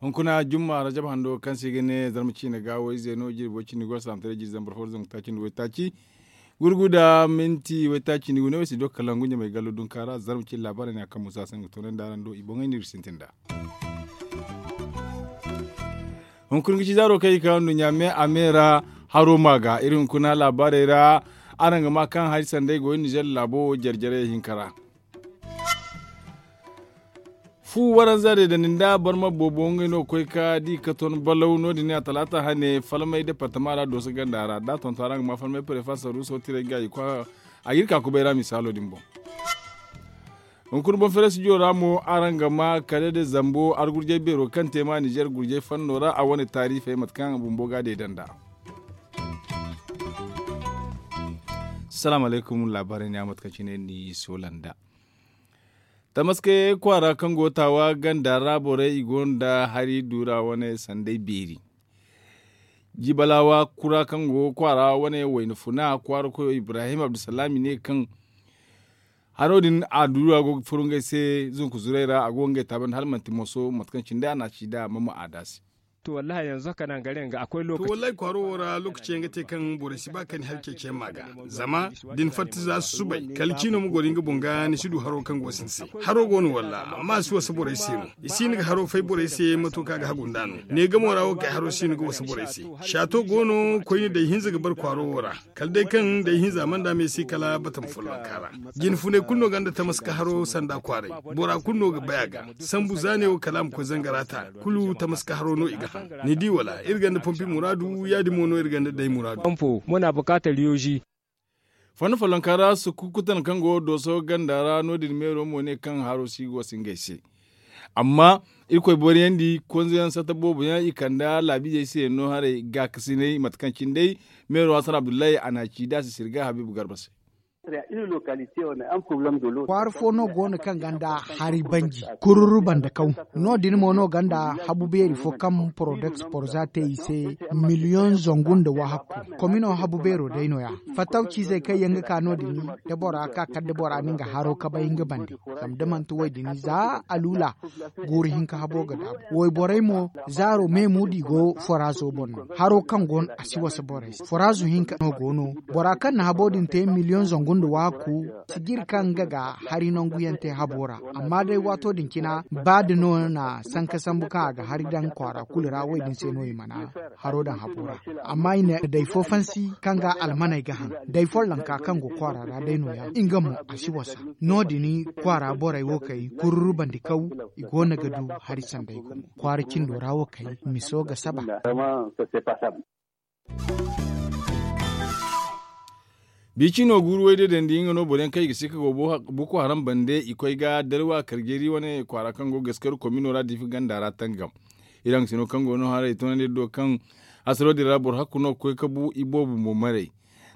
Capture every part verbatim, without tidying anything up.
Hunkuna jumma rajab hando kaŋ se i ga ne zarma ciine ga wayze no jirbo cindi go salaamtaray jiri zambar fo da zangu taaci nda waytaaci gurgu da minti waytaaci nda gu ne wayse do kala ngu ɲamay gallo dunka ra zarma ciine laabaarey no ya kaŋ musa se nga toonandi araŋ do i boŋey no iri sintin nd'a. Hunkuna ga ci zaaro kaŋ i ga ka nduɲɲa me a me ra haro ma ga iri hunkuna laabaarey ra. Araŋ ga ma kaŋ hari sanday go iri nizer laabo wo jare-jare hinka ra. Fu waranza de da ni nda barma boobo ngey no ga koy ka di ka ton balaw no- din a talaata hane falmay departama ra dooso ganda ra da a tonton araŋ ga ma falmay prefa saruuso tiray ga i kwa a ga iri ka kubay ra misaalo din boŋ. Hunkuna boŋ feere studio ra mo araŋ ga ma kala da zambo argurjay beero kaŋ te ma nizer gurjay fanno ra a wane taarifey mate kaŋ bumbo ga deeda nd'a. Salaamu alaykum laabaarey ne a mate kaŋ cine ni soola nd'a. Tamaske kwaara kaŋ go taawa ganda ra borey i go nda hari duura wane sanday beeri. Jibalawa kura kaŋ go kwaara wane wayna funa kwaara koyo ibrahim abdulsalaami ne kaŋ haro din a duura go ga furo ngey se zunku zuray ra a go ga ngey taabandi hala manti moso mate kaŋ cine day a na a ci nd'a mama a daasi. To wallahi yanzu haka nan garin ga akwai lokaci. To wallahi kwaaro wo ra lokaci yaŋ ga te kaŋ borey si ba ka ni hari ceeciyaŋ ma ga. Zama da ni fatta za susubay kala ciino ma goro nga boŋ ga ni si du haro kaŋ go sinda se. Haro go no walla amma a si wasa borey se no. I si hin ga haro fay borey se mato kaŋ a ga hagu nd'a no. Ne gamo ra wo kay haro si hin ga wasa borey se. Saato go no koyne day hinza ga bar kwaaro wo ra. Kala day kaŋ day hinza mana da me se kala batama follonka ra. Jine funay kulu no gonda tamaska haro sanda kwaaray. Bora kulu no ga bay a ga. Sambu za ne wo kala a ma koy zangara ta kulu tamaska haro no i ga haŋ. Ni di wala iri gonda pompi muraadu ya- din mo no iri gonda day muraadu. Fonda follonka ra sukukkutan kaŋ go dooso ganda ra no- din meero mo ne kaŋ haro si go si ngey se. Amma irkoy boriyandi konzeyaŋ sata boobo yaŋ i kanda laabiizey se yaŋ no haray gaakasinay mate kaŋ cine day meero hasan abdullahi a na a ci da a si sirga habiibu garba se. Kwaara fo no go no kaŋ gonda hari banji kururu banda kaw. No- din mo no gonda habu beeri fo kaŋ porodeks porza te i se miliyoŋ zangu nda wahakku. Komino habu beero day no- ya fattaw ciizey kaŋ yaŋ ga ka no- din da bora ka kala da bora na nga haro kabay nga bande. Zama da manti wo- din za aluula guuru hinka habo ga daabu wayborey mo zaaro me muudu i go foraazo boŋ no haro kaŋ go no a si wasa borey se foraazo hinka no go no. Bora kaŋ na habo din te miliyoŋ zangu nda waaku si jiri kaŋ nga ga hari nangu yaŋ te habo ra. Amma day waato din cina ba da no na sanka sambu kaŋ a ga hari daŋ kwaara kulu ra wo- din se no i mana haro daŋ habo ra. Amma i na day fo fansi kaŋ ga almaney ga haŋ day follonka kaŋ go kwaara ra day no- ya nga mo a si wasa. No- din kwaara borey wo kay kururu bandi kaw i go no ga du hari sanday gumo kwaara cindo ra wo kay miso ga saba. Bi cino guuru way day dandi nga no boro yaŋ kaŋ i ga si ka go boko haram bande i koy ga dalwa karjeri wane kwaara kaŋ go gaskari komino ra diifi ganda ra tangam. Iri haŋ sino kaŋ go no haray toonandi iri do kaŋ hasaro din ra boro hakku no ga koy ka bu i boobo mo maray.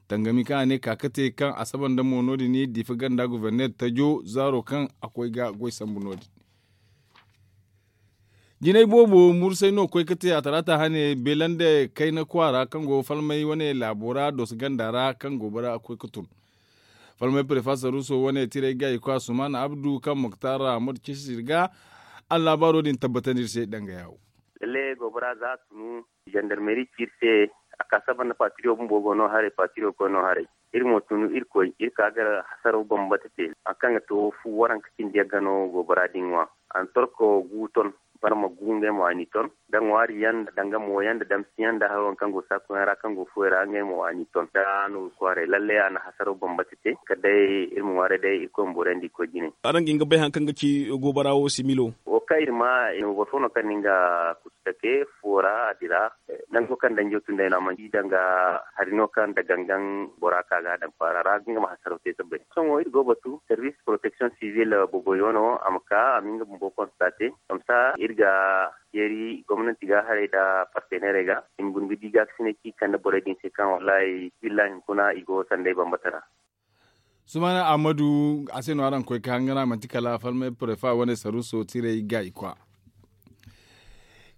Tangami kaŋ a ne ka ka te kaŋ a saba nda mo no- din diifi ganda guverner tajo zaaro kaŋ a koy ga goy sambu no- din. Jinay boobo mursay no koy ka te a talaata hane beelande kayna kwaara kaŋ go falmay wane laabo ra dooso ganda ra kaŋ go bara koy ka tun. Falmay prefa saruuso wane tiray ga i kwa sumaana abdu kaŋ muktar ahmad cisi iri ga. Allaabaaro din tabbatandi iri se danga yaawo. Lalle goobara za a tunu zandarmeri ci iri se. A ka saba nda patiriyo bumbo go no haray patiriyo koy no haray. Iri mo tunu iri koy iri ka ga hasaraw bambata te. Hari kaŋ ga to fu waranka cindi yaŋ ga no goobara din ŋwa. A na torko gu ton barma gu ngey mo a n'i ton. Da ŋwaari yaŋ nda danga mo yaŋ nda damsi yaŋ nda hari waŋ kaŋ go saaku yaŋ ra kaŋ go fuwey ra ngey mo a n'i ton da a no ga kwaaray lalle a na hasaraw bambata te. Kala day iri ma ŋwaaray day irkoy ma boorandi koy jine. Araŋ ga hin ga bay hari kaŋ ga ci goobara wo similo? Wo kaŋ iri ma boro fo no kaŋ na nga kusu take fuwo ra a dira. Nango kaŋ danjo tun day no a mana di danga hari no kaŋ nda gangan bora ka ga a daŋ kwaara ra nga ma hasaraw te sabbay. Sohõ iri go batu servis protection civil boboyo no a ma ka a ma nga bumbo konstate. Kamsa iri ga yeeri gomnanti ga haray nda partenerey ga i ma guna ga di gaakasinay kaŋ i kande borey din se kaŋ wallahi billahi hunkuna i go sanday bambata ra. Sumaana ahmadu a se no araŋ koy ka hangan a manti kala falmay prefa wane saruuso tiray ga i kwa.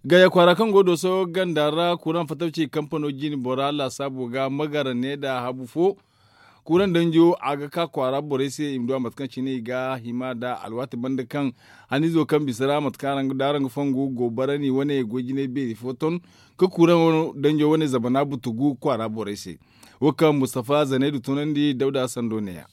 Gaya kwaara kaŋ go dooso ganda ra kuraŋ fattaw ci kampano jine bora laasaabo ga magara ne nda habu fo. Kuraŋ danjo a ga ka kwaara borey se i ma du a mate kaŋ cine i ga hima nda alwaati banda kaŋ haniizo kaŋ bisa ra mate kaŋ araŋ ga du araŋ ga fongu goobara ni wane goy jinay beeri fo ton ka kuraŋ danjo wane zamana butugu kwaara borey se. Wo kaŋ mustafa zanaydu tunandi dawda sando ne ya.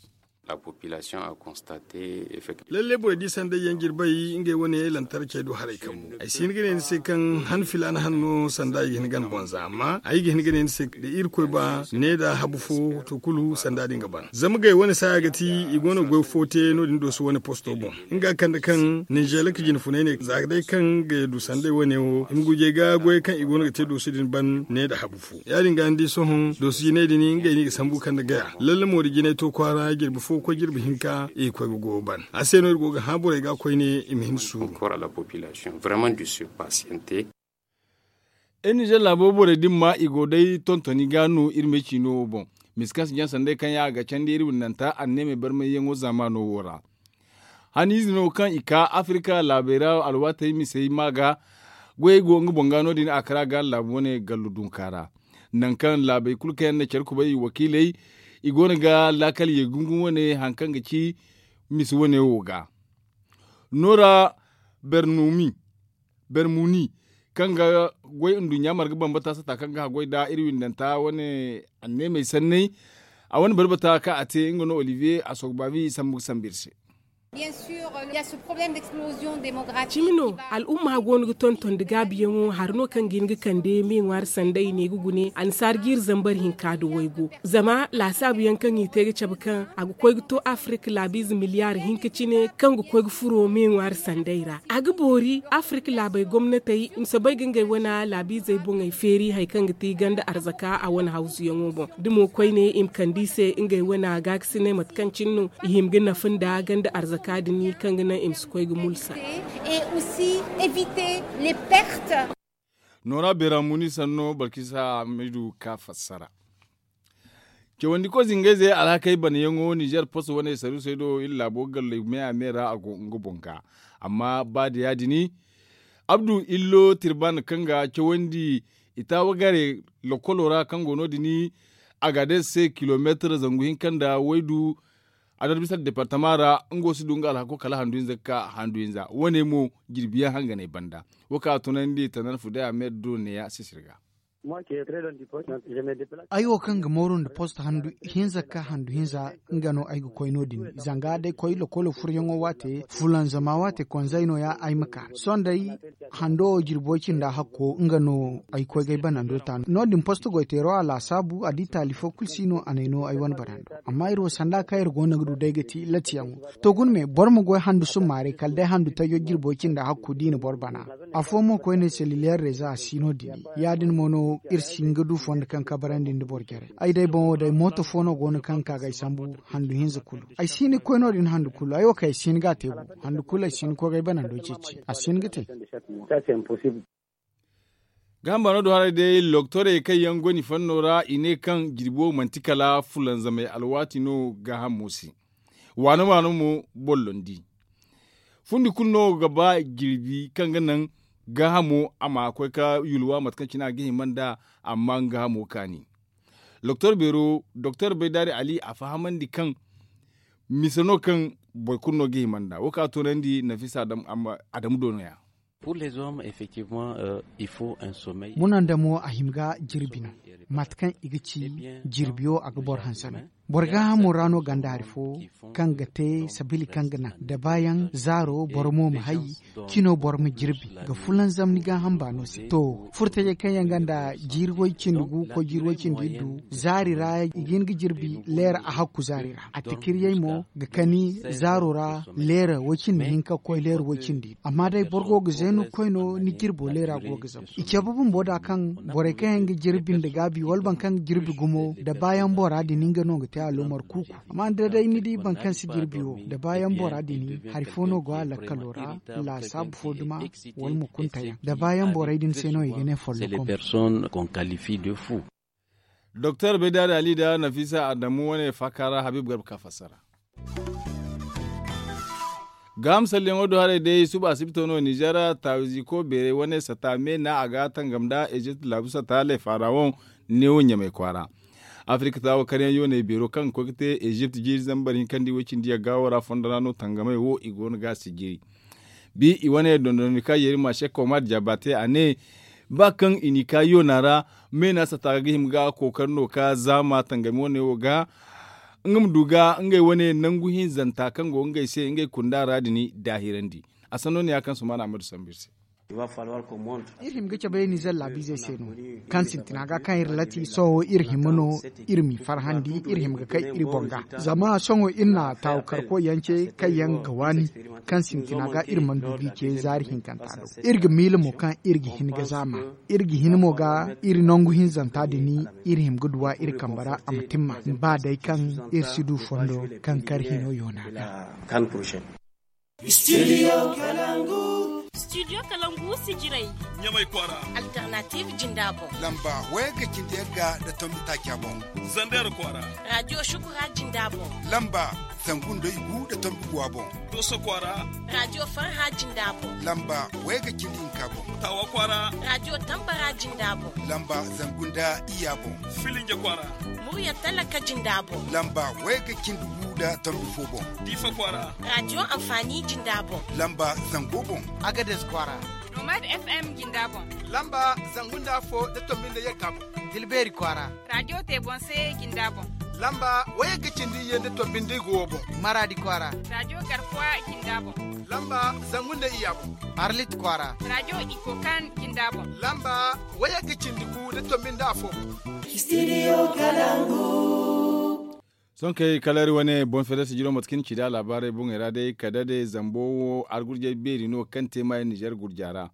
Lalle borey di sanday yaŋ jirbay ngey wane lantarcey do haray kambu ay si hin ga ne ni se kaŋ han filaana han no sanda i ga hin ga ni boŋ za amma ay ga hin ga ne ni se da irkoy ba ne da habu fo to kulu sanda din ga ban zama gay wane saaya ga ti i go no ga goy fo te no- din dooso wane posto boŋ nga kande kaŋ ninzeela ka jine funay ne za ga day kaŋ ga du sanday wane wo i ma gujey ga goyey kaŋ i go no ga te dooso din ban ne da habu fo ya- din ga ni di sohõ dooso jinay din ngey no i ga sambu kande gaya lalle moori jinay to kwaara jirbi fo ga koy jirbi hinka i ga koy ga goyo ban a se no iri go ga hã borey ga koyne i ma hin suuru. Iri ninzeer laabo borey din ma i go day tontoni ga no iri me ciino wo boŋ. Misa kaŋ si jaŋ sanday kaŋ yaŋ a ga candi iri windanta anneemey barmayyaŋo zaamaano wo ra. Haniize no kaŋ i ka afirika laabey ra alwaatey misey ma ga goyey go nga boŋ ga no- din a kara ga laabu wane gallu dunka ra. Nangu kaŋ laabey kulu kaŋ yaŋ na care kubay wakiiley i go no ga laakal ye gungum wane hari kaŋ ga ci misa wane wo ga. Noora bermuni kaŋ ga goy nduɲɲa marga bambata sata kaŋ ga haggoy nda iri windanta wane anneemey sanney. A wane barbata kaŋ a te nga no olivier a soogu baabi sambu ga sambu iri se. Cimi no al'umma go no ga tonton nda gaabiyaŋo hari no kaŋ ga hin ga kande me ŋwaari sanday ne ga gune annasaara jiiri zambar hinka nda waygu. Zama laasaabu yaŋ kaŋ i te ga cabe kaŋ a ga koy ga to afirik laabiize miliyaar hinka cine kaŋ ga koy ga furo me ŋwaari sanday ra a ga boori afirik laabey gomnatey i ma soobay ga ngey wane laabiizey boŋey feeri hari kaŋ ga ti ganda arzaka a wane hawzuyaŋo boŋ da mo koyne i ma kande i se ngey wane gaakasinay mate kaŋ cine no i hima ga nafa nda ganda arzaka din kaŋ ga naŋ i ma si koy ga mulsa. Noora beera muni sanno balkisa hamidu ka fassara. Cawandi koy zingayzey alhakey banayaŋo nizer post wane saruusey do iri laabo galley me a me ra a go nga boŋ ga. Amma ba da ya- din abdu illo tirban kaŋ ga cawandi i taawagare lokolo ra kaŋ go no- din a ga day se kilomeetar zangu hinka nda waydu. A dar bisa departama ra nga wo si du nga alhako kala handu hinza ga ka handu hinza wane mo jirbi yaŋ hanganey banda. Wo kaŋ a tunandi tanar fudaya me do neeya sisir ga. Ay wo kaŋ ga mooru nda post handu hinza ga ka handu hinza nga no ay ga koy no- din zanga day koy lokolo furyaŋo waate fulanzama waate konzey no- ya ay ma ka sohõ day hando wo jirbo cinda hakko nga no ay koy ga ay banando ta no- din post goyteero a laasaabu a di taali fo kulu si no a n'ay no ay wane banando. Amma iri wo sanda kaŋ iri go no ga du day ga ti latiyaŋo to guna me boro ma goy handu summaaray kala day handu tajo jirbo cinda hakku da i na boro bana. Afo mo koyne seliliyar rezo a si no- din ya- din mo no iri si hin ga du fondo kaŋ kabarandi nda boro jarey ay day boŋo day mooto fo no go no kaŋ ga ka ga ay sambu handu hinza kulu ay si hin ga koy no- din handu kulu ay wo kaŋ ay si hin ga a te bu handu kulu ay si hin ga koy ga ay banando ceeci a si hin ga te. Gaaham baano do haray day loktorey kaŋ yaŋ go ni fanno ra i ne kaŋ jirbo manti kala fulanzamey alwaati no gaahamo se. Waano waano mo bollondi fundi kulu no ga ba jirbi kaŋ ga naŋ gaahamo a ma koy ka yulwa mate kaŋ cine a ga hima nd'a amma nga gaahamo kaani. Doktor beero doktor baydaari ali a fahamandi kaŋ misa no kaŋ boro kulu no ga hima nd'a wo kaŋ a toonandi nafisa adamu do no- ya. Munandamo a hima ga jirbi no mate kaŋ i ga ci jirbiyo a ga boro hanse no. Boro gaahamo ra no ganda hari fo kaŋ ga te sabili kaŋ ga naŋ da baayaŋ zaaro boro mo ma hay cino boro ma jirbi ga fulanzam ni gaaham baano se to furtajey kaŋ yaŋ ganda jiiri way cindi gu koy jiiri way cindi iddu zaari ra i ga hin ga jirbi leera a hakku zaari ra a tikiriyey mo ga kani zaaro ra leera way cindi hinka ga koy leera way cindi iddu amma day boro go ga zeenu ga koy no ni jirbo leera go ga zama i cabe bumbo da kaŋ borey kaŋ yaŋ ga jirbi nda gaabi wala boro kaŋ ga jirbi gumo da baayaŋ bora din nga no ga te aloomar kuuku. Amma da day ni di boro kaŋ si jirbi wo da baayaŋ bora din hari fo no go a lakkalo ra laasaabu fo duma wala ma kuntayaŋ da baayaŋ borey din se no i ga ne follokom. Doktor baydaari ali nda nafisa adamu wane faaka ra habib garba ka fassara. Gaaham salleŋo do haray day suba asibito no ninzeer taawiziiko beeray wane sata me na a ga tangam nda ezipt laabu sata lay faarawoŋ neewo ɲamay kwaara. Afirka taawo karyaŋ yooney beero kaŋ ga koy ga te ezipt jiiri zambar hinkandi way-cindi yagga wo ra fondo ra no tangamey wo i go no ga a sijiri. Bi i wane dondonandi ka yeeri ma sekko ma diya baate a ne, ba kaŋ i n'i ka yoona ra, meena sata ga hima ga kookari no ka zaama tangami wane wo ga nga ma du ga ngey wane nangu hinzanta kaŋ go ngey se ngey kunda ra din daahirandi. A sanno ne ya kaŋ sumaana ahmadu sambu iri se. Iri hima ga cabe ninzeer laabiizey se no, kaŋ sintina ga kaŋ iri lati sohõ iri hima no iri m'i farhandi iri hima ga kay iri boŋ ga. Zama sohõ iri na taawu karkoy yaŋ ce kaŋ yaŋ ga waani, kaŋ sintina ga iri mana du g'i ce zaari hinkanta do. Iri ga miila mo kaŋ iri ga hin ga zaama, iri ga hin mo ga iri nangu hinzanta din iri hima ga duw'a iri kambe ra a ma timma, ba day kaŋ iri si du fondo kaŋ kar hino yoona ga. Studio kalangu. Studio kalangu sijirey. Ɲamay kwaara. Alternative jinda boŋ. Lamba wayagga cindi yagga nda tombi taaca boŋ. Zander kwaara. Radio shukura jinda boŋ. Lamba zangu nda igu nda tombi guwa boŋ. Doso kwaara. Radio farha jinda boŋ. Lamba wayagga cindi hinka boŋ. Tawa kwaara. Radio tambara jinda boŋ. Lamba zangu nda iya boŋ. Filinja kwaara. Murya talaka jinda boŋ. Lamba wayagga cindi gu nda tombi fo boŋ. Diifa kwaara. Radio amfaani jinda boŋ. Lamba zango boŋ. Agades kwaara. Nomad fm jinda boŋ. Lamba zangu nda afo nda tombi nda yagga boŋ. Dilbeeri kwaara. Radio te boŋ se jinda boŋ. Lamba wayagga cindi iyye nda tombi nda igo boŋ. Maraadi kwaara. Radio garkuwa jinda boŋ. Lamba zangu nda iya boŋ. Arlit kwaara. Radio ikokan jinda boŋ. Lamba wayagga cindi gu nda tombi nda afo boŋ. Studio kalangu. Sohõ kay kala iri wane boŋ feere sijiro mate kaŋ ni ci da laabaarey boŋey ra day kala day zambo wo argurjey beeri no kaŋ te maayo ninzeer gurja ra.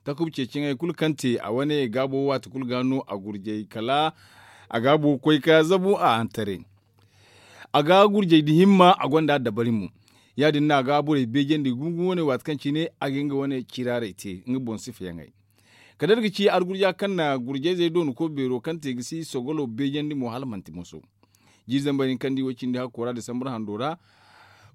Takuba ceeciyaŋey kulu kaŋ te a wane gaabo waati kulu ga no a gurjey kala a gaabo ga koy ka zabu a hantare. A ga gurjey da himma a gonda dabari mo. Ya- din no a ga borey beejandi gumo gumo wane waati kaŋ cine a ga nga wane ciraarey te nga boŋ sifayaŋey. Kala iri ga ci argurja kaŋ na gurjayzey doonako beero kaŋ te ga si sogolo beejandi mo hala manti moso. Jiiri zambar hinkandi way cindi hakko ra disambur hando ra.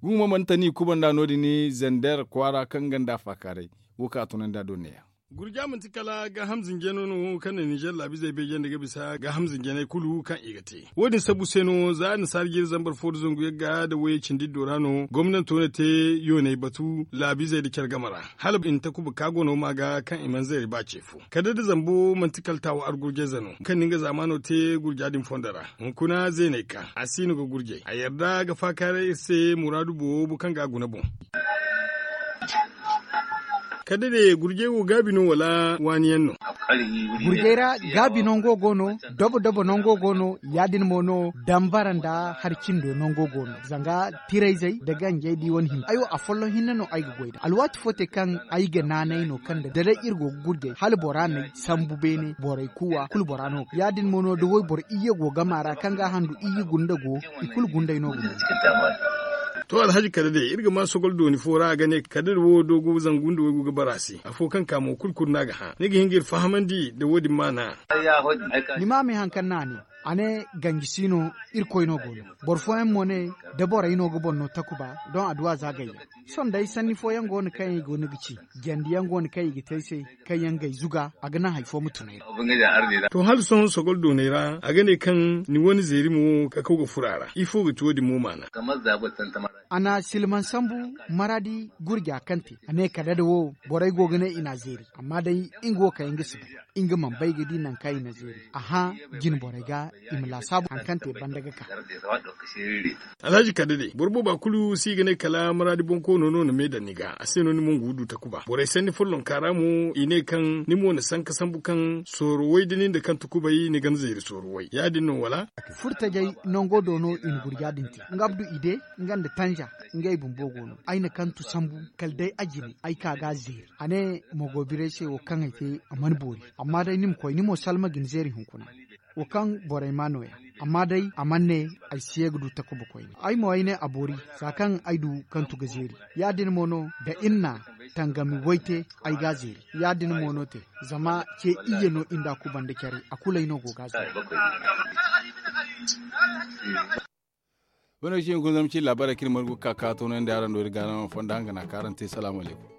Gumo mana tani kubanda no- din zander kwaara kaŋ ganda faakaaray. Wo kaŋ a tunandi a do neeya. Gurja manti kala gaaham zinjano no kaŋ na ninzeer laabiizey beejandi ga bisa gaaham zinjaney kulu kaŋ i ga te. Wo- din sabu se no za annasaara jiiri zambar fo nda zangu yagga nda wayey cindi iddo ra no gomnanto na te yooney batu laabiizey nda care game ra. Hala i na takuba ka gono ma ga kaŋ i mana zeeri ba ce fo kala da zambo manti kala taawo argurjayze no kaŋ na nga zaamaano te gurja din fondo ra. Hunkuna zeeney ka a si no ga gurjay a yarda ga faakaaray iri se muraadu boobo kaŋ ga a guna boŋ. Kala day gurjay wo gaabi no wala waani yaŋ no? Gurjay ra gaabi nango go no. Dobo dobo nango go no. Ya- din mo no dambara nda hari cindo nango go no zanga tirayzey nda ganjey da i wane hinne ay wo afolloŋ hinne no ay ga goy nd'a alwaati fo te kaŋ ay ga naanay no kaŋ nda da day iri go ga gurjay hala bora n'ay sambu beene borey kuuwa kulu bora no ya- din mo no da wayboro iyye go game a ra kaŋ ga a handu iyye gunda go. I kulu gunday no ga no. To alhaji kala day iri ga ma sogol dooni fo ra a ga ne kala day wo doogo zangu nda waygu ga bara a se afo kaŋ ka mo kulu kulu no a ga hã ni ga hin ga iri fahamandi nda wo- din maana. Ni ma me hari kaŋ no a ne a ne ganji si no. Irkoy no go no. Boro fooyaŋ mo ne da borey no ga boŋ no takuba doŋ adduwa za gayyaŋ. Sohõ day sanni fooyaŋ go no kaŋ i go no ga ci jandi yaŋ go no kaŋ i ga te ay se kaŋ yaŋ gay zuga a ga naŋ hari fo ma tun ay ra. To hala sohõ sogol dooney ra a ga ne kaŋ ni wane zeeri mo ka kaw ga furo a ra ifo ga ti wo- din mo maana? A na silman sambu maradi gurja kaŋ te a ne kala da wo borey go ga ne i n'a zeeri amma day nga wo kaŋ yaŋ ga si bay. Nga mana bay ga di nangu kaŋ i na zeeri a hã jine borey ga i ma laasaabu hari kaŋ te banda ga ka. Alhaji kala day boro booba kulu si ga ne kala maraadi bonkoono no na me daŋ ni ga a se no ni mo ga du takuba borey sanni follonka ra mo i ne kaŋ ni mo na sanka sambu kaŋ sooro way da nin da kaŋ takubay ni ga ni zeeri sooro way ya- din no wala? Furtajey nango do no i na gurja din te nga abdu ide nga nda tanja ngey bumbo go no ay na kantu sambu kala day a jine ay ka ga a zeeri a ne mogobiray se wo kaŋ ay te a mana boori. Amma day ni ma koy ni mo salma ga ni zeeri hunkuna. Wo kaŋ borey ma nooya amma day a mana ne ay si ye ga du takuba koyne ay mo ay ne a boori. Za kaŋ ay du kantu ga zeeri ya- din mo no da iri na tangami way te ay ga a zeeri ya- din mo no te. Zama ce iyye no iri nda a kubanda care a kulu ay no go ga a zeeri. Wane wo si hin kun zama ci laabaaray kaŋ iri margu ga ka ka toonandi araŋ do iri gaarama fonda hanga na kaŋ araŋ te salaamu alaykum.